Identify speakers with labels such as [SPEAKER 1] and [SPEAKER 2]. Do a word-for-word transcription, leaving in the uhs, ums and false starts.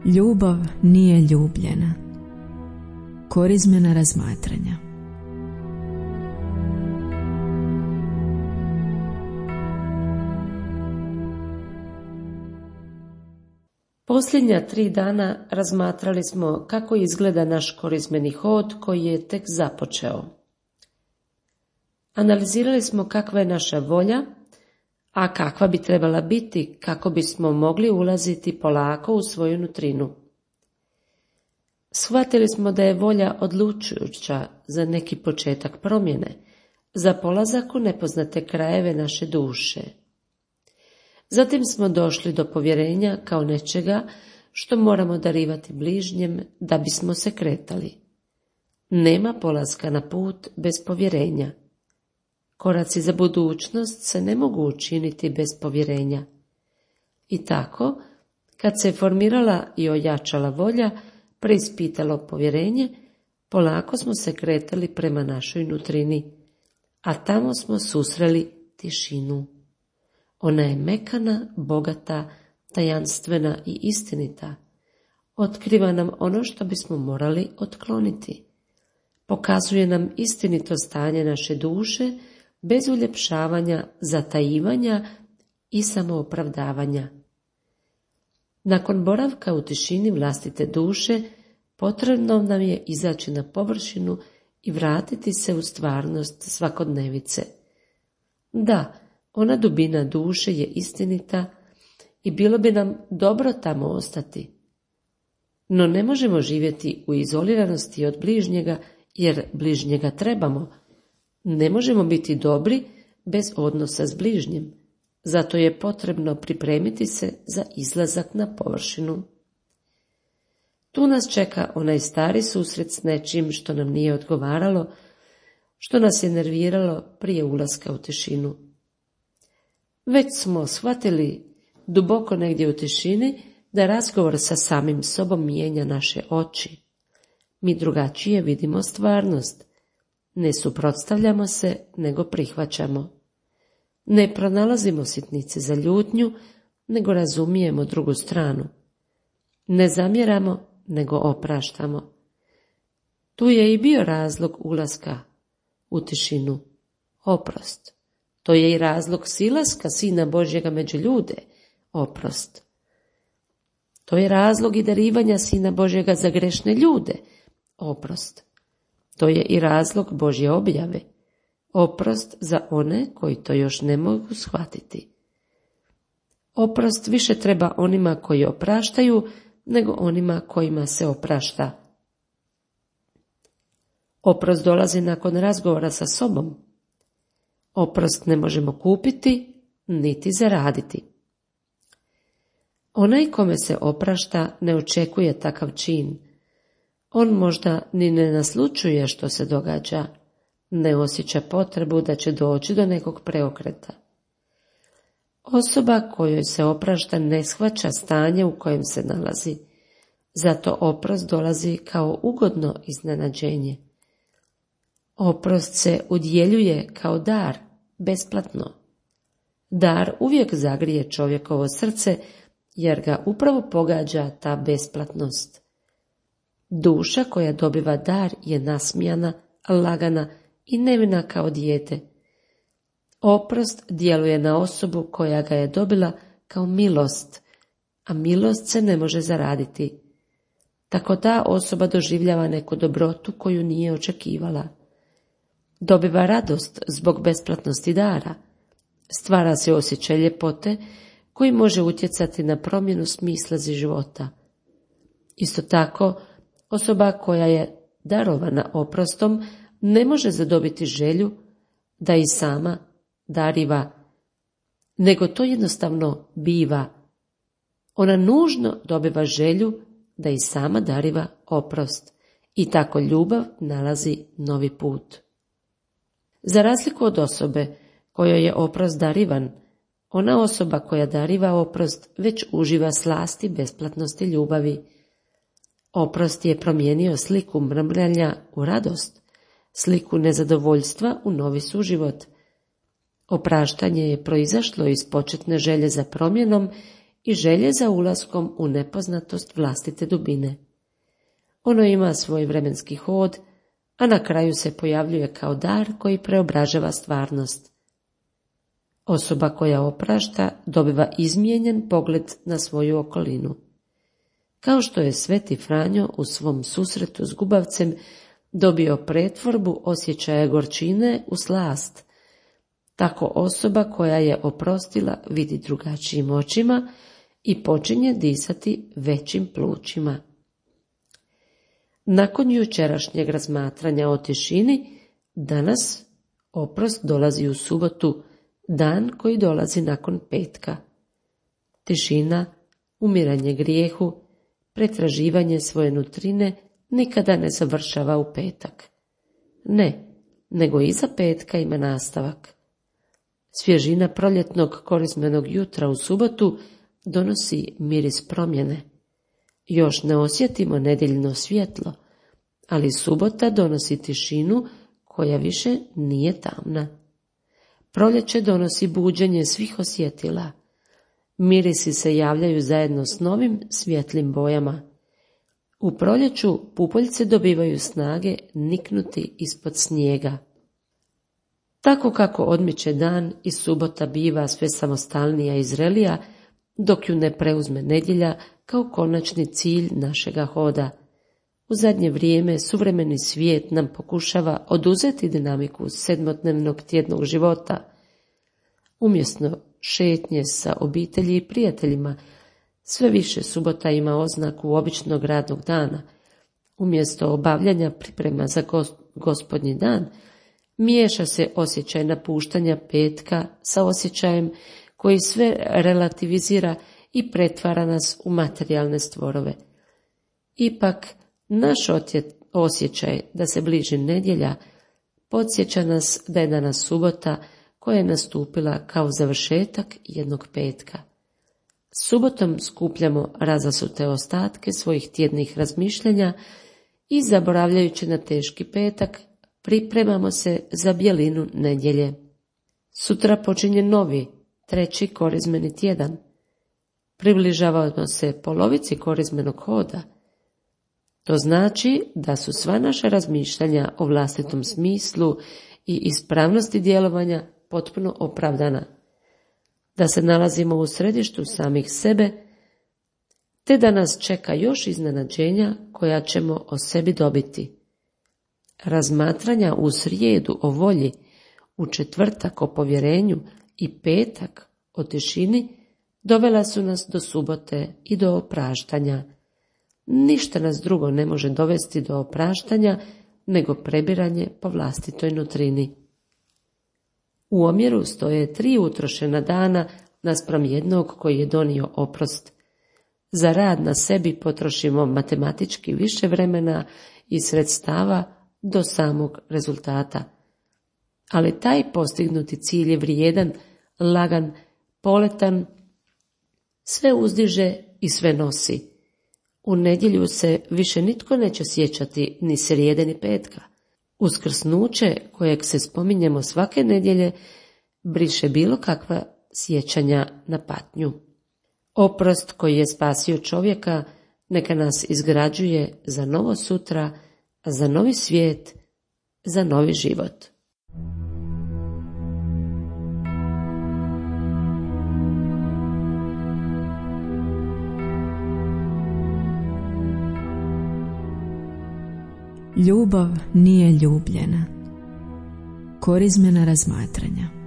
[SPEAKER 1] Ljubav nije ljubljena. Korizmena razmatranja.
[SPEAKER 2] Posljednja tri dana razmatrali smo kako izgleda naš korizmeni hod koji je tek započeo. Analizirali smo kakva je naša volja, a kakva bi trebala biti kako bismo mogli ulaziti polako u svoju nutrinu. Shvatili smo da je volja odlučujuća za neki početak promjene, za polazak u nepoznate krajeve naše duše. Zatim smo došli do povjerenja kao nečega što moramo darivati bližnjem da bismo se kretali. Nema polaska na put bez povjerenja. Koraci za budućnost se ne mogu učiniti bez povjerenja. I tako, kad se formirala i ojačala volja, preispitalo povjerenje, polako smo se kretali prema našoj nutrini, a tamo smo susreli tišinu. Ona je mekana, bogata, tajanstvena i istinita. Otkriva nam ono što bismo morali otkloniti. Pokazuje nam istinito stanje naše duše, bez uljepšavanja, zatajivanja i samoopravdavanja. Nakon boravka u tišini vlastite duše, potrebno nam je izaći na površinu i vratiti se u stvarnost svakodnevice. Da, ona dubina duše je istinita i bilo bi nam dobro tamo ostati. No ne možemo živjeti u izoliranosti od bližnjega, jer bližnjega trebamo. Ne možemo biti dobri bez odnosa s bližnjim, zato je potrebno pripremiti se za izlazak na površinu. Tu nas čeka onaj stari susret s nečim što nam nije odgovaralo, što nas je nerviralo prije ulaska u tišinu. Već smo shvatili duboko negdje u tišini da razgovor sa samim sobom mijenja naše oči. Mi drugačije vidimo stvarnost. Ne suprotstavljamo se, nego prihvaćamo. Ne pronalazimo sitnice za ljutnju, nego razumijemo drugu stranu. Ne zamjeramo, nego opraštamo. Tu je i bio razlog ulaska u tišinu, oprost. To je i razlog silaska Sina Božjega među ljude, oprost. To je razlog i darivanja Sina Božjega za grešne ljude, oprost. To je i razlog Božje objave, oprost za one koji to još ne mogu shvatiti. Oprost više treba onima koji opraštaju, nego onima kojima se oprašta. Oprost dolazi nakon razgovora sa sobom. Oprost ne možemo kupiti, niti zaraditi. Onaj kome se oprašta ne očekuje takav čin. On možda ni ne naslućuje što se događa, ne osjeća potrebu da će doći do nekog preokreta. Osoba kojoj se oprašta ne shvaća stanje u kojem se nalazi, zato oprost dolazi kao ugodno iznenađenje. Oprost se udjeljuje kao dar, besplatno. Dar uvijek zagrije čovjekovo srce, jer ga upravo pogađa ta besplatnost. Duša koja dobiva dar je nasmijana, lagana i nevina kao dijete. Oprost djeluje na osobu koja ga je dobila kao milost, a milost se ne može zaraditi. Tako ta osoba doživljava neku dobrotu koju nije očekivala. Dobiva radost zbog besplatnosti dara. Stvara se osjećaj ljepote koji može utjecati na promjenu smisla života. Isto tako, osoba koja je darovana oprostom ne može zadobiti želju da i sama dariva, nego to jednostavno biva. Ona nužno dobiva želju da i sama dariva oprost i tako ljubav nalazi novi put. Za razliku od osobe kojoj je oprost darivan, ona osoba koja dariva oprost već uživa slasti besplatnosti ljubavi. Oprost je promijenio sliku mrmljanja u radost, sliku nezadovoljstva u novi suživot. Opraštanje je proizašlo iz početne želje za promjenom i želje za ulaskom u nepoznatost vlastite dubine. Ono ima svoj vremenski hod, a na kraju se pojavljuje kao dar koji preobražava stvarnost. Osoba koja oprašta dobiva izmijenjen pogled na svoju okolinu. Kao što je Sveti Franjo u svom susretu s gubavcem dobio pretvorbu osjećaja gorčine u slast, tako osoba koja je oprostila vidi drugačijim očima i počinje disati većim plućima. Nakon jučerašnjeg razmatranja o tišini, danas oprost dolazi u subotu, dan koji dolazi nakon petka. Tišina, umiranje grijehu, pretraživanje svoje nutrine nikada ne završava u petak. Ne, nego iza petka ima nastavak. Svježina proljetnog korizmenog jutra u subotu donosi miris promjene. Još ne osjetimo nedjeljno svjetlo, ali subota donosi tišinu koja više nije tamna. Proljeće donosi buđenje svih osjetila. Mirisi se javljaju zajedno s novim svjetlim bojama. U proljeću pupoljce dobivaju snage niknuti ispod snijega. Tako kako odmiče dan i subota biva sve samostalnija i zrelija, dok ju ne preuzme nedjelja kao konačni cilj našega hoda. U zadnje vrijeme suvremeni svijet nam pokušava oduzeti dinamiku sedmodnevnog tjednog života. Umjesto šetnje sa obitelji i prijateljima, sve više subota ima oznaku običnog radnog dana. Umjesto obavljanja priprema za gospodnji dan, miješa se osjećaj napuštanja petka sa osjećajem koji sve relativizira i pretvara nas u materijalne stvorove. Ipak, naš osjećaj da se bliži nedjelja podsjeća nas da je danas subota koja je nastupila kao završetak jednog petka. Subotom skupljamo razasute ostatke svojih tjednih razmišljanja i zaboravljajući na teški petak, pripremamo se za bjelinu nedjelje. Sutra počinje novi, treći korizmeni tjedan. Približavamo se polovici korizmenog hoda. To znači da su sva naša razmišljanja o vlastitom smislu i ispravnosti djelovanja potpuno opravdana, da se nalazimo u središtu samih sebe, te da nas čeka još iznenađenja koja ćemo o sebi dobiti. Razmatranja u srijedu o volji, u četvrtak o povjerenju i petak o tišini dovela su nas do subote i do opraštanja. Ništa nas drugo ne može dovesti do opraštanja nego prebiranje po vlastitoj nutrini. U omjeru stoje tri utrošena dana naspram jednog koji je donio oprost. Za rad na sebi potrošimo matematički više vremena i sredstava do samog rezultata. Ali taj postignuti cilj je vrijedan, lagan, poletan, sve uzdiže i sve nosi. U nedjelju se više nitko neće sjećati ni srijede ni petka. Uskrsnuće, kojeg se spominjemo svake nedjelje, briše bilo kakva sjećanja na patnju. Oprost koji je spasio čovjeka neka nas izgrađuje za novo sutra, za novi svijet, za novi život.
[SPEAKER 1] Ljubav nije ljubljena. Korizmena razmatranja.